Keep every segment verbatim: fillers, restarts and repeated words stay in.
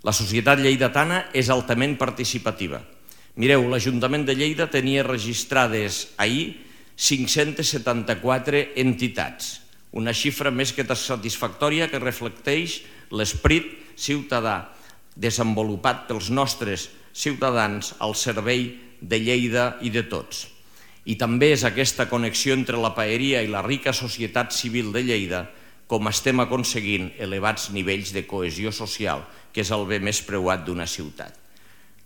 La societat lleidatana és altament participativa. Mireu, l'Ajuntament de Lleida tenia registrades ahir cinc-centes setanta-quatre entitats, una xifra més que satisfactòria que reflecteix l'esperit ciutadà desenvolupat pels nostres ciutadans al servei de Lleida i de tots. I també és aquesta connexió entre la paeria i la rica societat civil de Lleida com estem aconseguint elevats nivells de cohesió social, que és el bé més preuat d'una ciutat.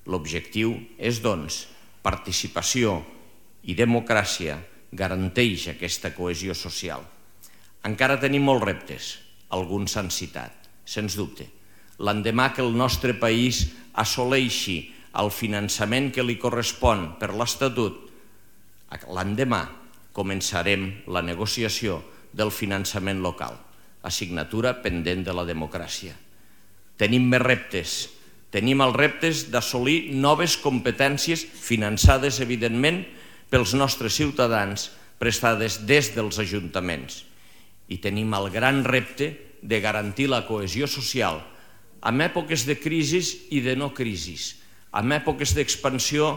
L'objectiu és, doncs, participació i democràcia garanteix aquesta cohesió social. Encara tenim molts reptes, alguns s'han citat, sens dubte. L'endemà que el nostre país assoleixi el finançament que li correspon per l'Estatut, l'endemà començarem la negociació del finançament local, assignatura pendent de la democràcia. Tenim més reptes. Tenim els reptes d'assolir noves competències finançades, evidentment, pels nostres ciutadans, prestades des dels ajuntaments. I tenim el gran repte de garantir la cohesió social en èpoques de crisis i de no crisis. En èpoques d'expansió,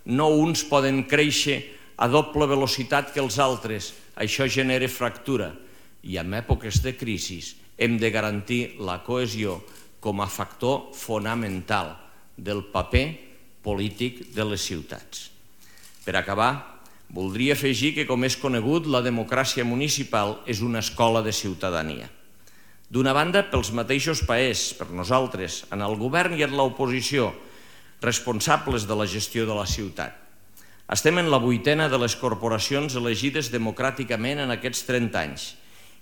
no uns poden créixer a doble velocitat que els altres. Això genera fractura. I en èpoques de crisis hem de garantir la cohesió com a factor fonamental del paper polític de les ciutats. Per acabar, voldria afegir que, com és conegut, la democràcia municipal és una escola de ciutadania. D'una banda, pels mateixos paers, per nosaltres, en el govern i en l'oposició, responsables de la gestió de la ciutat. Estem en la vuitena de les corporacions elegides democràticament en aquests trenta anys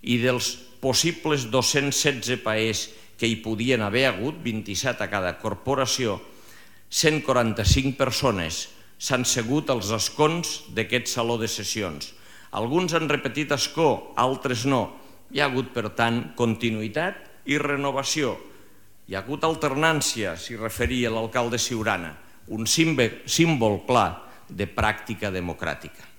i dels possibles dos-cents setze paers que hi podien haver hagut, vint-i-set a cada corporació, cent quaranta-cinc persones s'han segut als escons d'aquest saló de sessions. Alguns han repetit escó, altres no. Hi ha hagut, per tant, continuïtat i renovació. Hi ha hagut alternància, s'hi referia l'alcalde Siurana, un símbol clar de pràctica democràtica.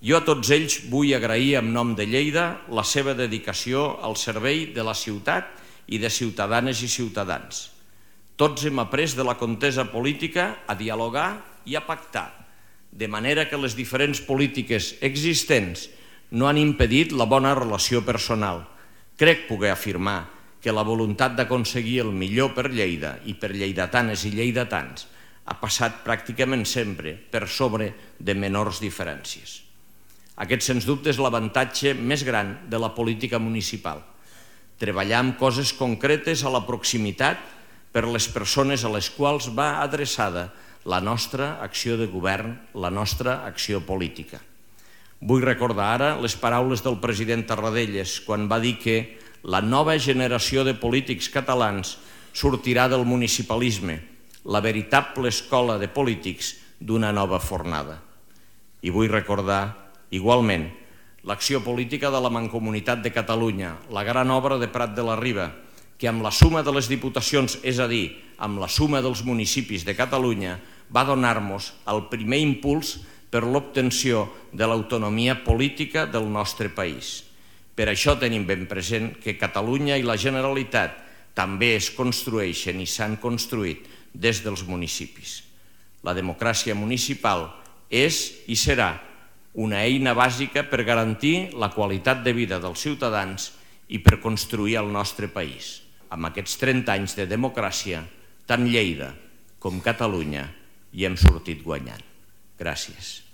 Jo a tots ells vull agrair en nom de Lleida la seva dedicació al servei de la ciutat i de ciutadanes i ciutadans. Tots hem après de la contesa política a dialogar i a pactar, de manera que les diferents polítiques existents no han impedit la bona relació personal. Crec poder afirmar que la voluntat d'aconseguir el millor per Lleida i per lleidatanes i lleidatans ha passat pràcticament sempre per sobre de menors diferències. Aquest, sens dubte, és l'avantatge més gran de la política municipal. Treballar amb coses concretes a la proximitat per les persones a les quals va adreçada la nostra acció de govern, la nostra acció política. Vull recordar ara les paraules del president Tarradellas quan va dir que la nova generació de polítics catalans sortirà del municipalisme, la veritable escola de polítics d'una nova fornada. I vull recordar, igualment, l'acció política de la Mancomunitat de Catalunya, la gran obra de Prat de la Riba, que amb la suma de les diputacions, és a dir, amb la suma dels municipis de Catalunya, va donar-nos el primer impuls per l'obtenció de l'autonomia política del nostre país. Per això tenim ben present que Catalunya i la Generalitat també es construeixen i s'han construït des dels municipis. La democràcia municipal és i serà una eina bàsica per garantir la qualitat de vida dels ciutadans i per construir el nostre país. Amb aquests trenta anys de democràcia, tant Lleida com Catalunya hi hem sortit guanyant. Gràcies.